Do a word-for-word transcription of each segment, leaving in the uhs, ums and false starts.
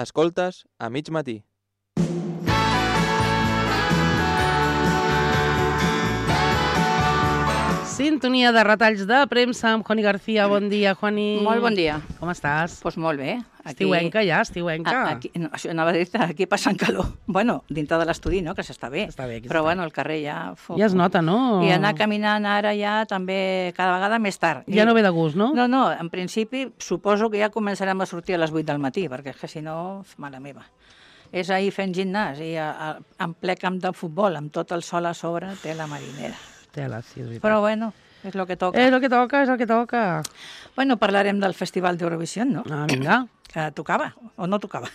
Escoltes a mig matí. Sintonia de retalls de premsa amb Juani García. Bon dia, Juani. Molt bon dia. Com estàs? Doncs pues molt bé. Aquí... Estiuenca ja, estiuenca. Aquí, no, això anava a dir-te, aquí passant calor. Bueno, dintre de l'estudi, no?, que s'està bé. Està bé, Però està bueno, bé. el carrer ja... Fo, ja es nota, no? I anar caminant ara ja també cada vegada més tard. Ja I... no ve de gust, no? No, no, en principi suposo que ja començarem a sortir a les vuit del matí, perquè és que si no, mare meva. És ahir fent gimnàs i a, a, en ple camp de futbol, amb tot el sol a sobre, té la marinera. Tela, sí, és veritat. Però bueno, és el que toca. És el que toca, és el que toca. Bueno, parlarem del Festival d'Eurovisió, no? Ah, vinga. Que tocava, o no tocava.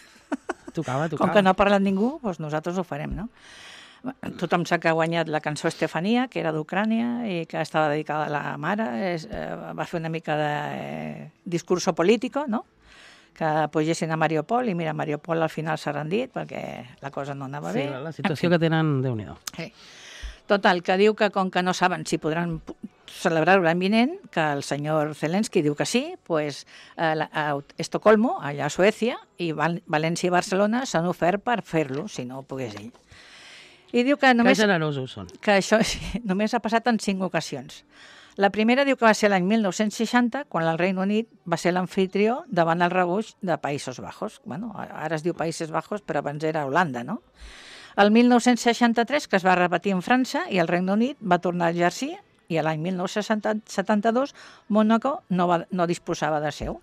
Tocava, tocava. Com que no ha parlat ningú, doncs nosaltres ho farem, no? Tothom sap que ha guanyat la cançó Estefania, que era d'Ucrània i que estava dedicada a la mare. És, eh, va fer una mica de eh, discurso político, no?, que apogessin a Mariupol, i mira, Mariupol al final s'ha rendit perquè la cosa no anava sí, bé. la situació que tenen, Déu-n'hi-do. Sí. Total, que diu que com que no saben si podran celebrar-ho l'any vinent, que el senyor Zelensky diu que sí, pues, a, a Estocolmo, allà a Suècia, i Val València i Barcelona s'han ofert per fer-lo, si no ho pogués ell. I diu que només... Que generosos són. Que això sí, només ha passat en cinc ocasions. La primera diu que va ser l'any mil nou-cents seixanta, quan el Regne Unit va ser l'amfitrió davant el rebuig de Països Baixos. Bueno, ara es diu Països Baixos, però abans era Holanda, no? El mil nou-cents seixanta-tres, que es va repetir en França, i el Regne Unit va tornar a exercir, i l'any mil nou-cents setanta-dos Mònaco no, va, no disposava de seu.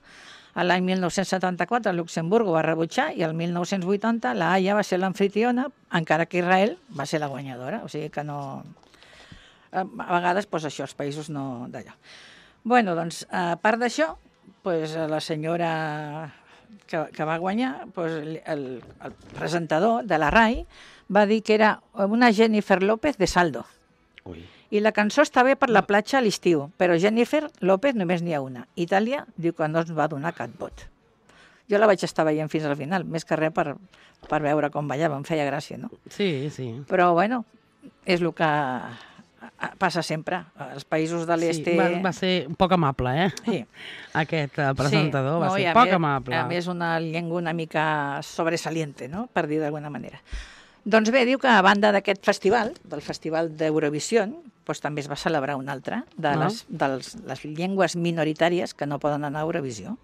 L'any mil nou-cents setanta-quatre Luxemburg ho va rebutjar, i el mil nou-cents vuitanta la Haia va ser l'amfitriona, encara que Israel va ser la guanyadora, o sigui que no... A vegades, doncs això, els països no d'allò. Bueno, doncs, a part d'això, doncs, la senyora que, que va guanyar, doncs, el, el presentador de la RAI va dir que era una Jennifer López de Saldo. Ui. I la cançó està bé per la platja a l'estiu, però Jennifer López només n'hi ha una. Itàlia diu que no ens va donar cap vot. Jo la vaig estar veient fins al final, més que res per, per veure com ballava, em feia gràcia, no? Sí, sí. Però, bueno, és el que... passa sempre. Els països de l'est... Sí, va, va ser un poc amable, eh? Sí. Aquest uh, presentador sí. va no, ser a poc més, amable. A més, una llengua una mica sobresaliente, no?, per dir d'alguna manera. Doncs bé, diu que a banda d'aquest festival, del Festival d'Eurovisió, doncs també es va celebrar un altre de no? les, dels, les llengües minoritàries que no poden anar a Eurovisió.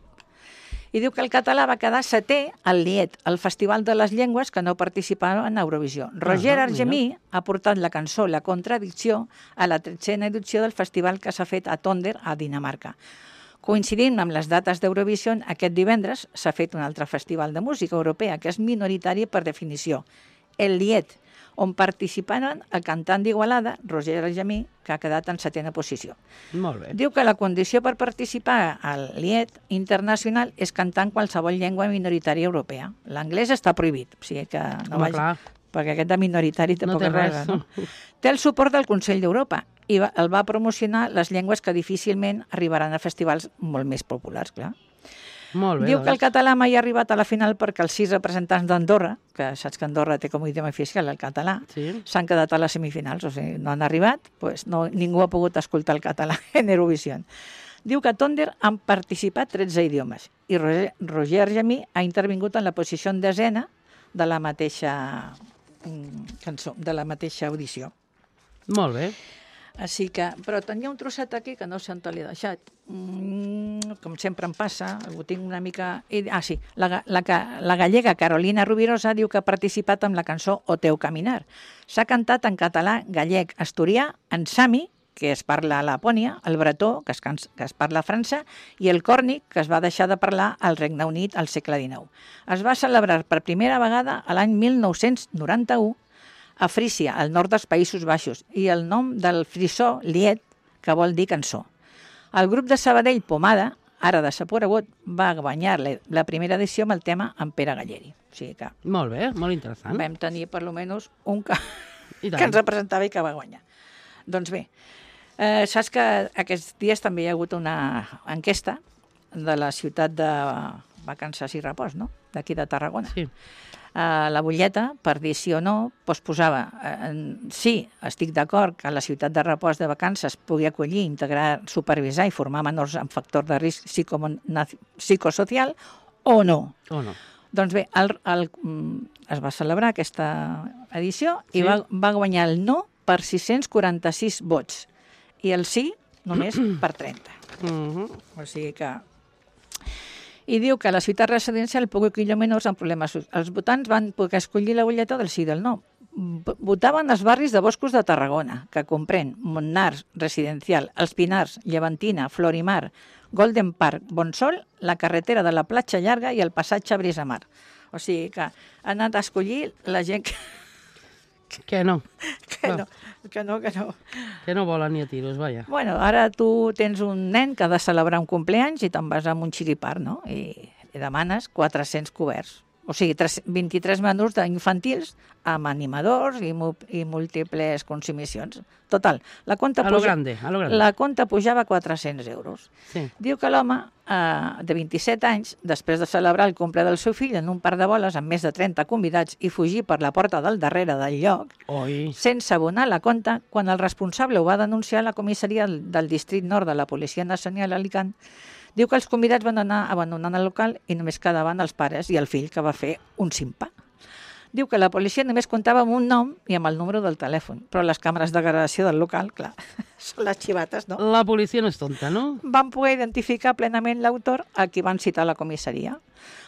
I diu que el català va quedar setè al Liet, el Festival de les Llengües que no participaven en Eurovisió. Roger Ah, Argemí ha portat la cançó La Contradicció a la tretzena edició del festival que s'ha fet a Tonder, a Dinamarca. Coincidint amb les dates d'Eurovisió, aquest divendres s'ha fet un altre festival de música europea que és minoritari per definició, el Liet, on participaren el cantant d'Igualada, Roger Argemí, que ha quedat en setena posició. Molt bé. Diu que la condició per participar al Liet internacional és cantar en qualsevol llengua minoritària europea. L'anglès està prohibit, o sigui que no Home, vagi, clar. perquè aquest de minoritari tampoc té és res. res. No? Té el suport del Consell d'Europa i va, el va promocionar les llengües que difícilment arribaran a festivals molt més populars, clar. Molt bé, Diu que el doncs. català mai ha arribat a la final perquè els sis representants d'Andorra, que saps que Andorra té com a idioma oficial el català, Sí. s'han quedat a les semifinals, o sigui, no han arribat, doncs no, ningú ha pogut escoltar el català en Eurovisió. Diu que a Tonder han participat tretze idiomes i Roger, Roger Argemí ha intervingut en la posició en desena de la mateixa mm, cançó, de la mateixa audició. Molt bé. Així que, però tenia un trosset aquí que no sé on te l'he deixat. Mm, com sempre em passa, ho tinc una mica... Ah, sí, la, la, la gallega Carolina Rubirosa diu que ha participat amb la cançó O teu caminar. S'ha cantat en català, gallec, asturià, en sami, que es parla a Lapònia, el bretó, que es, que es parla a França, i el còrnic, que es va deixar de parlar al Regne Unit al segle dinou. Es va celebrar per primera vegada a l'any mil nou-cents noranta-u a Frísia, al nord dels Països Baixos, i el nom del frisó Liet, que vol dir cançó. El grup de Sabadell Pomada, ara desaparegut, va guanyar la, la primera edició amb el tema en Pere Galleri. O sigui que Molt bé, molt interessant. vam tenir per almenys un que, I tant. que ens representava i que va guanyar. Doncs bé, eh, saps que aquests dies també hi ha hagut una enquesta de la ciutat de Vacances i Repòs, no?, d'aquí de Tarragona. Sí. Uh, la butlleta, per dir sí o no, doncs posava uh, sí, estic d'acord que la ciutat de repòs de vacances pugui acollir, integrar, supervisar i formar menors amb factor de risc psicosocial o no. O no. Doncs bé, el, el, es va celebrar aquesta edició i Sí. va, va guanyar el no per sis-cents quaranta-sis vots i el sí només per trenta. Mhm. O sigui que... I diu que la ciutat residencial pugui acollir menors amb problemes. Els votants van poder escollir la butlleta del sí i del no. V- Votaven els barris de boscos de Tarragona, que comprèn Montnars, Residencial, Els Pinars, Llevantina, Florimar, Golden Park, Bonsol, la carretera de la Platja Llarga i el passatge Brisamar. O sigui que ha anat a escollir la gent que, Que no, que, no, que no, que no. que no volen ni a tiros, vaja. Bueno, ara tu tens un nen que ha de celebrar un compleanys i te'n vas amb un xiripar, no? I, i demanes quatre-cents coberts. O sigui, tres- vint-i-tres menús d'infantils amb animadors i, mu i múltiples consumicions. Total, la compta, A lo grande, a lo grande. la compta pujava a quatre-cents euros. Sí. Diu que l'home, eh, de vint-i-set anys, després de celebrar el cumple del seu fill en un parc de boles amb més de trenta convidats i fugir per la porta del darrere del lloc, Oi. sense abonar la compta, quan el responsable ho va denunciar a la comissaria del, del districte nord de la Policia Nacional Alicant, diu que els convidats van anar abandonant el local i només quedaven els pares i el fill, que va fer un simpà. Diu que la policia només comptava amb un nom i amb el número del telèfon, però les càmeres de gravació del local, clar, són les xivates, no? La policia no és tonta, no? Van poder identificar plenament l'autor a qui van citar a la comissaria.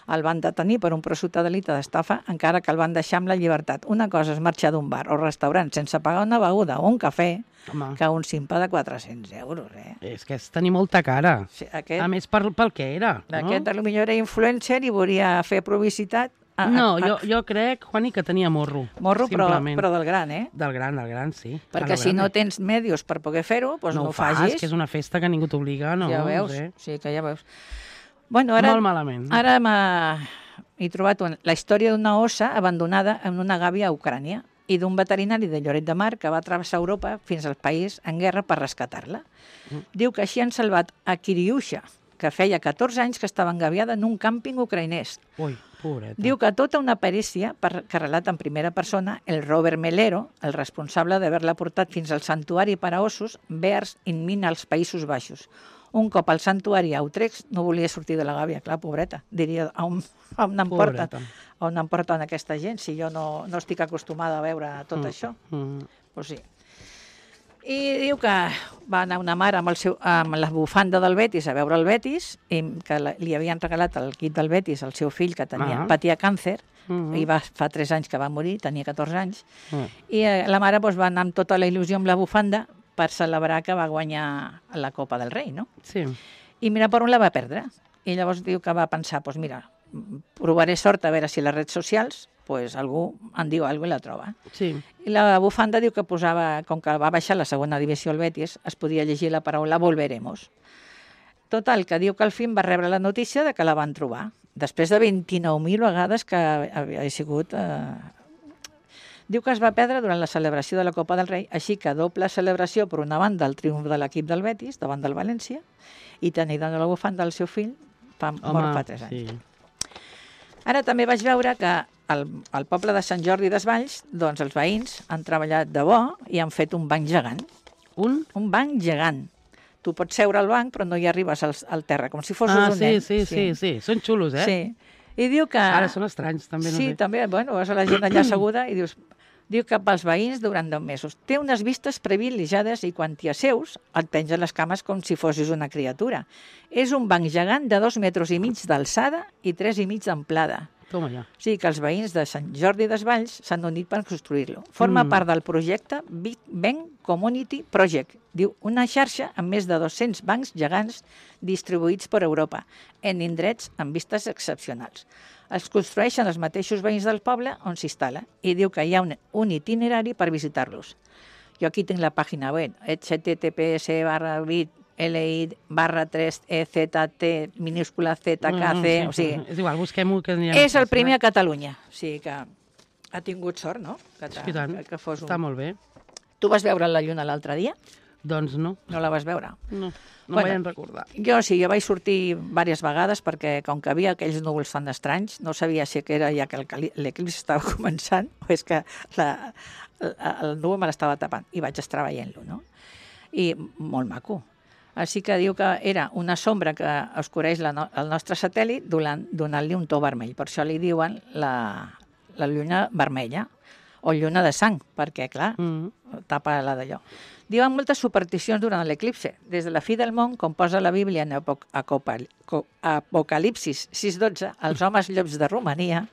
El van detenir per un presumpte delicte d'estafa, encara que el van deixar amb la llibertat. Una cosa és marxar d'un bar o restaurant sense pagar una beguda o un cafè, Home, que un simpà de quatre-cents euros, eh? és que és tenir molta cara. Sí, aquest, A més, per, pel que era. aquest No, potser era influencer i volia fer publicitat. A, no a, a, jo, jo crec, Juani, que tenia morro. morro, però, simplement. però del gran, eh? Del gran, del gran, sí. Perquè A lo si no grande. tens medios per poder fer-ho, doncs no, no ho ho fas, facis. que és una festa que ningú t'obliga, no? ja veus, No sé. sí, que ja veus. Bueno, ara, Molt malament. ara m'ha he trobat una, la història d'una ossa abandonada en una gàbia a Ucrània i d'un veterinari de Lloret de Mar que va travessar Europa fins al país en guerra per rescatar-la. Mm. Diu que així han salvat a Kiriusha, que feia catorze anys que estava engabiada en un càmping ucraïnès. Ui, pobreta. Diu que tota una perícia per, que relata en primera persona el Robert Melero, el responsable d'haver-la portat fins al santuari per a ossos Bears in Min als Països Baixos. Un cop al santuari a Utrecht no volia sortir de la gàbia, clar, pobreta. Diria, on, on em porten, Pobreta. on em porten aquesta gent si jo no, no estic acostumada a veure tot Mm, això? mm. Pues sí. I diu que va anar una mare amb, el seu, amb la bufanda del Betis a veure el Betis, i que la, li havien regalat el kit del Betis al seu fill que tenia, Ah. patia càncer, Mhm. i va, fa tres anys que va morir, tenia catorze anys, Mm. i eh, la mare doncs, va anar amb tota la il·lusió amb la bufanda per celebrar que va guanyar la Copa del Rei, no? Sí. I mira per on la va perdre. I llavors diu que va pensar, doncs mira, provaré sort a veure si a les redes socials pues, algú en diu alguna cosa i la troba. Sí. I la bufanda diu que posava, com que va baixar la segona divisió al Betis, es podia llegir la paraula volveremos. Total, que diu que al fin va rebre la notícia de que la van trobar, després de vint-i-nou mil vegades que havia sigut... Eh... Diu que es va perdre durant la celebració de la Copa del Rei, així que doble celebració, per una banda, el triomf de l'equip del Betis davant del València, i tenir de la bufanda del seu fill, fa, mort fa tres anys. sí. Ara també vaig veure que al, al poble de Sant Jordi Desvalls, doncs els veïns han treballat de bo i han fet un banc gegant. Un? Un banc gegant. Tu pots seure al banc, però no hi arribes al, al terra, com si fossis Ah, un sí, nen. sí, sí, sí. Són xulos, eh? Sí. I diu que... Ara són estranys, també, no sí, sé. també, bueno, vas a la gent allà asseguda i dius... Diu que pels veïns durant deu mesos. Té unes vistes privilegiades i quan t'hi asseus et pengen les cames com si fossis una criatura. És un banc gegant de dos metres i mig d'alçada i tres i mig d'amplada. Toma ja. O sigui que els veïns de Sant Jordi Desvalls s'han unit per construir-lo. Forma Mm. part del projecte Big Bang Community Project. Diu, una xarxa amb més de dos-cents bancs gegants distribuïts per Europa, en indrets amb vistes excepcionals. Els construeixen els mateixos veïns del poble on s'instal·la i diu que hi ha un, un itinerari per visitar-los. Jo aquí tinc la pàgina web, h t t p s barra bit li barra tres e z t minúscula z k c, o sigui, És igual, busquem-ho que anirem. és el fàcil, primer eh? a Catalunya, o sigui que ha tingut sort, no? Que, t'ha- I tant. que, que fos un... Està molt bé. Tu vas veure la lluna l'altre dia? Doncs no, No la vas veure? no, no Bueno. bueno. vaig recordar. Jo sí, jo vaig sortir diverses vegades perquè com que havia aquells núvols tan estranys, no sabia si que era ja que el cali- l'eclipsi estava començant o és que la, la, el núvol me l'estava tapant i vaig estar veient-lo, no? I molt maco. Així que diu que era una sombra que oscureix la no el nostre satèl·lit donant- donant-li un to vermell. Per això li diuen la, la lluna vermella o lluna de sang, perquè, clar, Mm. tapa la d'allò. Diuen moltes supersticions durant l'eclipse. Des de la fi del món, com posa la Bíblia en Apoc Acopal- Co- Apocalipsis sis dotze, els homes llops de Romania,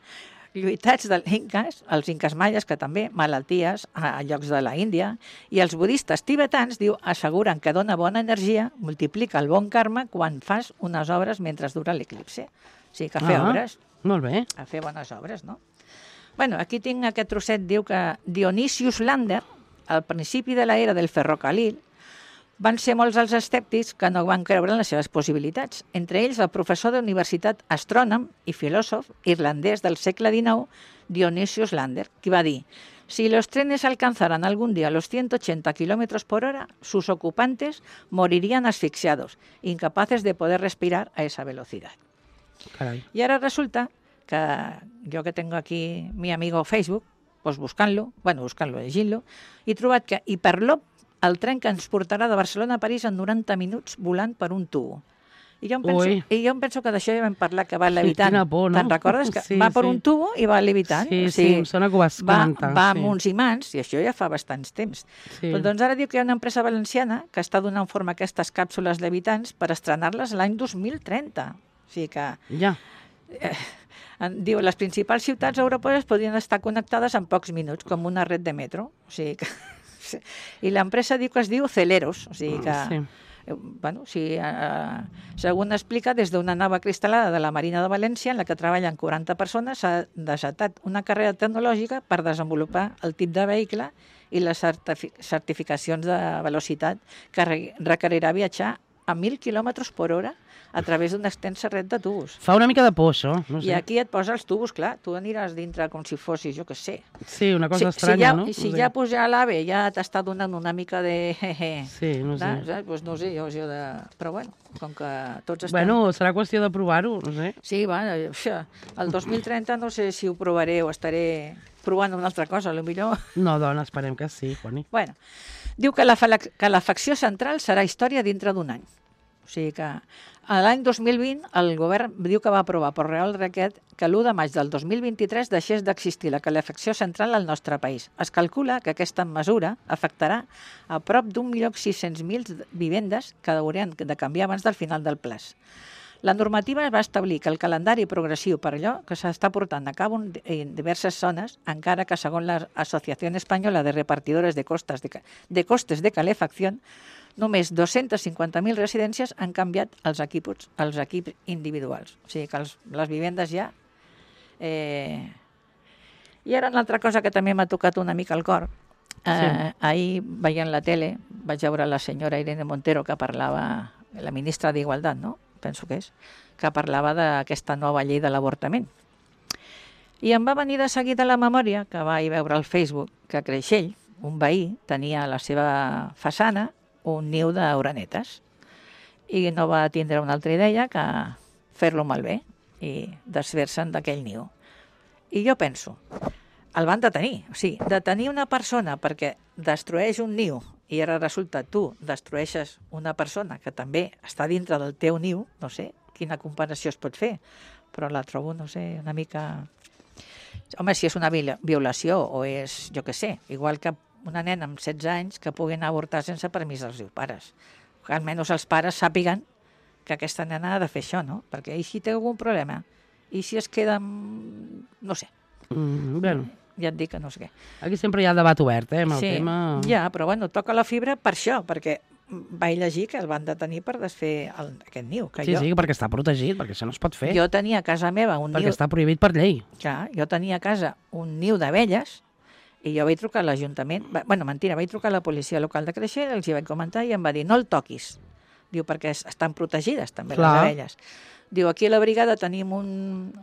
lluitats dels inques, els inques maies, que també, malalties a, a llocs de la Índia, i els budistes tibetans, diu, asseguren que dona bona energia, multiplica el bon karma quan fas unes obres mentre dura l'eclipse. O sigui, que fer Ah. obres, Molt bé. a fer bones obres, no? Bueno, aquí tinc aquest trosset, diu que Dionysius Lander, al principi de l'era del ferrocarril, van ser molts els escèptics que no van creure en les seves possibilitats. Entre ells, el professor de universitat, astrònom i filòsof irlandès del segle dinou, Dionysius Lander, qui va dir: si los trenes alcanzaran algún día los ciento ochenta kilómetros por hora, sus ocupantes morirían asfixiados, incapaces de poder respirar a esa velocidad. Carai. Y ahora resulta que yo que tengo aquí mi amigo Facebook, pues buscant-lo, bueno, buscant-lo, llegint-lo, he trobat que Hiperloop, el tren que ens portarà de Barcelona a París en noranta minuts volant per un tubo. I jo em penso, Ui. i jo em penso que d'això ja vam parlar, que va Sí, levitant. quina por, no? Te'n recordes? Que Sí, va per sí. un tubo i va levitant. Sí, o sí, sigui, em sona que ho vas va, comentar, va sí. amb uns imants, i això ja fa bastants temps. Sí. Però doncs ara diu que hi ha una empresa valenciana que està donant forma a aquestes càpsules levitants per estrenar-les l'any dos mil trenta. O sigui que Ja. en- diu, les principals ciutats europees podrien estar connectades en pocs minuts, com una red de metro. O sigui que... sí. I l'empresa diu que es diu Celeros, o sigui que... Sí. eh, Bueno, sí, eh, segons explica, des d'una nova cristal·lada de la Marina de València, en la que treballen quaranta persones, s'ha desatat una carrera tecnològica per desenvolupar el tip de vehicle i les certifi certificacions de velocitat que re requerirà viatjar a mil quilòmetres per hora a través d'una extensa red de tubos. Fa una mica de por, això. No I sé. aquí et posa els tubos, clar, tu aniràs dintre com si fossis, jo què sé. Sí, una cosa si, estranya, si ja, no? Si No sé. ja pues, ja l'AVE ja t'està donant una mica de... Sí, no sé. No, saps? Pues no sé, jo, jo de... Però bueno, com que tots estem... Bueno, serà qüestió de provar-ho, no sé. Sí, va, això, el dos mil trenta no sé si ho provaré o estaré provant una altra cosa, potser. No, dona, esperem que sí, Juani. Bueno, diu que la, que la facció central serà història dintre d'un any. O sigui que a l'any dos mil vint el govern diu que va aprovar per Real Decret que l'u de maig del dos mil vint-i-tres deixés d'existir la calefacció central al nostre país. Es calcula que aquesta mesura afectarà a prop d'un milió sis-cents mil vivendes que haurien de canviar abans del final del plaç. La normativa va establir que el calendari progressiu per allò que s'està portant a cabo en diverses zones, encara que segons l'Associació Espanyola de Repartidores de, costes de, de Costes de Calefacció, només dos-cents cinquanta mil residències han canviat els equips, els equips individuals. O sigui que els, les vivendes ja... Eh... I ara una altra cosa que també m'ha tocat una mica al cor. Eh, sí. Ahir, veient la tele, vaig veure la senyora Irene Montero que parlava, la ministra d'Igualtat, no? Penso que és, que parlava d'aquesta nova llei de l'avortament. I em va venir de seguida a la memòria, que vaig veure al Facebook, que a Creixell, un veí, tenia a la seva façana un niu d'orenetes i no va tindre una altra idea que fer-lo malbé i desfer-se'n d'aquell niu. I jo penso, el van detenir, o sigui, detenir una persona perquè destrueix un niu i ara resulta tu destrueixes una persona que també està dintre del teu niu, no sé quina comparació es pot fer, però la trobo, no sé, una mica... Home, si és una violació o és, jo què sé, igual que una nena amb setze anys que pugui anar a avortar sense permís dels seus pares. Que almenys els pares sàpiguen que aquesta nena ha de fer això, no? Perquè i si té algun problema? I si es queda amb... no sé. Mm, bueno. Ja et dic que no sé què. Aquí sempre hi ha el debat obert, eh, amb el sí, tema... Ja, però bueno, toca la fibra per això, perquè vaig llegir que el van detenir per desfer el, aquest niu. Que Sí, jo, sí, perquè està protegit, perquè això no es pot fer. Jo tenia a casa meva un perquè niu... està prohibit per llei. Clar, jo tenia a casa un niu d'abelles i jo vaig trucar a l'Ajuntament, bueno, mentira, vaig trucar a la policia local de Creixell, els hi vaig comentar i em va dir, no el toquis. Diu, perquè estan protegides també Clar. les abelles. Diu, aquí a la brigada tenim un,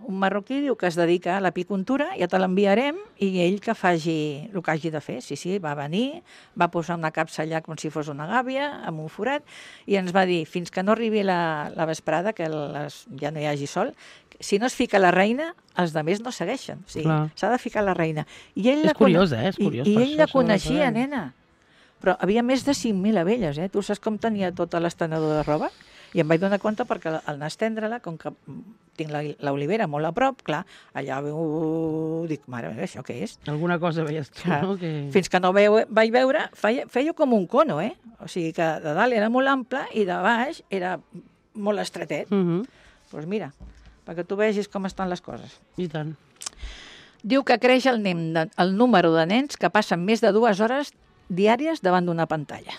un marroquí, diu, que es dedica a l'apicultura, ja te l'enviarem i ell que faci el que hagi de fer. Sí, sí, va venir, va posar una capsa allà com si fos una gàbia, amb un forat, i ens va dir, fins que no arribi la, la vesprada, que les, ja no hi hagi sol, si no es fica la reina, els altres no segueixen. O sigui, s'ha de ficar la reina. I ell és la curiós, eh? És curiós. I, i ell això, la això coneixia, de... nena. però havia més de cinc mil abelles, eh? Tu saps com tenia tota l'estenedor de roba? I em vaig donar compte perquè al anar a estendre-la, com que tinc la- l'olivera molt a prop, clar, allà veu... Dic, mare meva, això què és? Alguna cosa veies tu, Clar, no? Que... Fins que no veu, vaig veure, feia, feia com un cono, eh? O sigui que de dalt era molt ample i de baix era molt estretet. Doncs Uh -huh. pues mira, perquè tu vegis com estan les coses. I tant. Diu que creix el, nen de, el número de nens que passen més de dues hores diàries davant d'una pantalla.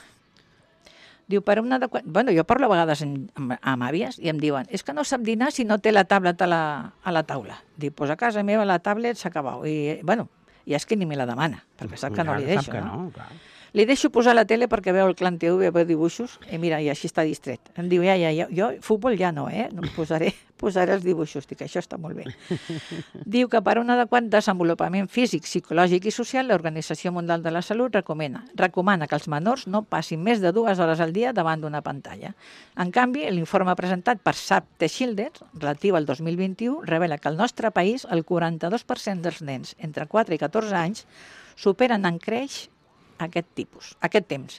Diu, per una de... Bueno, jo parlo a vegades amb, amb, amb àvies i em diuen, és que no sap dinar si no té la tablet a la, a la taula. Dic, pues a casa meva la tablet s'ha acabat. I, bueno, i és que ni me la demana, perquè sap que no li deixo, Sap que no? no, clar. Li deixo posar la tele perquè veu el Clan T V, veu dibuixos, i mira, i així està distret. Em diu, ja, ja, ja, jo futbol ja no, eh? No, posaré, posaré els dibuixos, dic, això està molt bé. Diu que per un adequat desenvolupament físic, psicològic i social, l'Organització Mundial de la Salut recomana, recomana que els menors no passin més de dues hores al dia davant d'una pantalla. En canvi, l'informe presentat per Save the Children, relatiu al dos mil vint-i-u, revela que al nostre país el quaranta-dos per cent dels nens entre quatre i catorze anys superen en creix aquest tipus, aquest temps.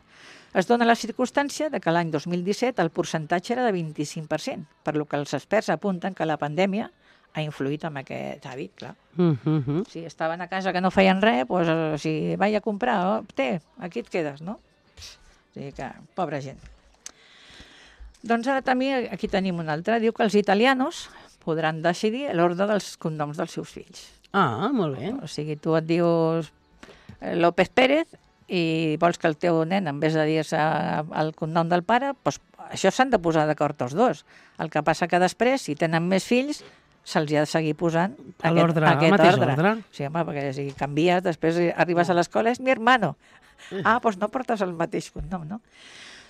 Es dona la circumstància de que l'any dos mil disset el percentatge era de vint-i-cinc per cent, per lo que els experts apunten que la pandèmia ha influït en aquest hàbit, clar. Uh -huh. Si estaven a casa que no feien res, doncs, eh, si vaig a comprar, oh, té, aquí et quedes, no? O sigui que, pobra gent. Doncs ara també aquí tenim un altre. Diu que els italianos podran decidir l'ordre dels cognoms dels seus fills. Ah, molt bé. O sigui, tu et dius eh, López Pérez i vols que el teu nen, en vez de dir-se el cognom del pare, doncs això s'han de posar d'acord tots dos. El que passa que després, si tenen més fills, se'ls ha de seguir posant A aquest, l'ordre, al aquest mateix ordre. ordre. Sí, home, perquè si canvies, després arribes a l'escola, és mi hermano. Ah, doncs no portes el mateix cognom, no?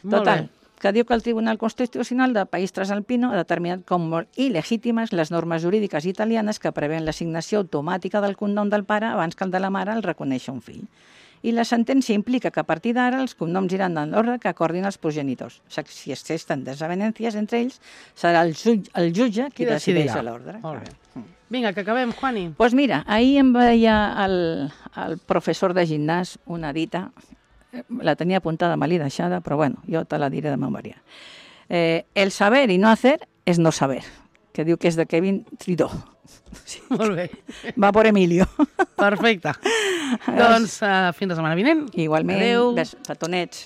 Molt Total, bé. que diu que el Tribunal Constitucional del País Transalpino ha determinat com molt il·legítimes les normes jurídiques italianes que preveuen l'assignació automàtica del cognom del pare abans que el de la mare el reconeixi un fill. I la sentència implica que a partir d'ara els cognoms iran en l'ordre que acordin els progenitors. O sigui, si existen desavenències entre ells, serà el, jutge, el jutge qui, Qui decideix decidirà. l'ordre. Molt bé. Vinga, que acabem, Juani. Doncs pues mira, ahir em veia el, el professor de gimnàs una dita, la tenia apuntada mal i deixada, però bueno, jo te la diré de memòria. Eh, el saber i no hacer és no saber, que diu que és de Kevin Tridó. Sí. Molt bé. Va por Emilio. Perfecte. Doncs uh, fins la setmana vinent. Igualment, Adéu. bes- petonets.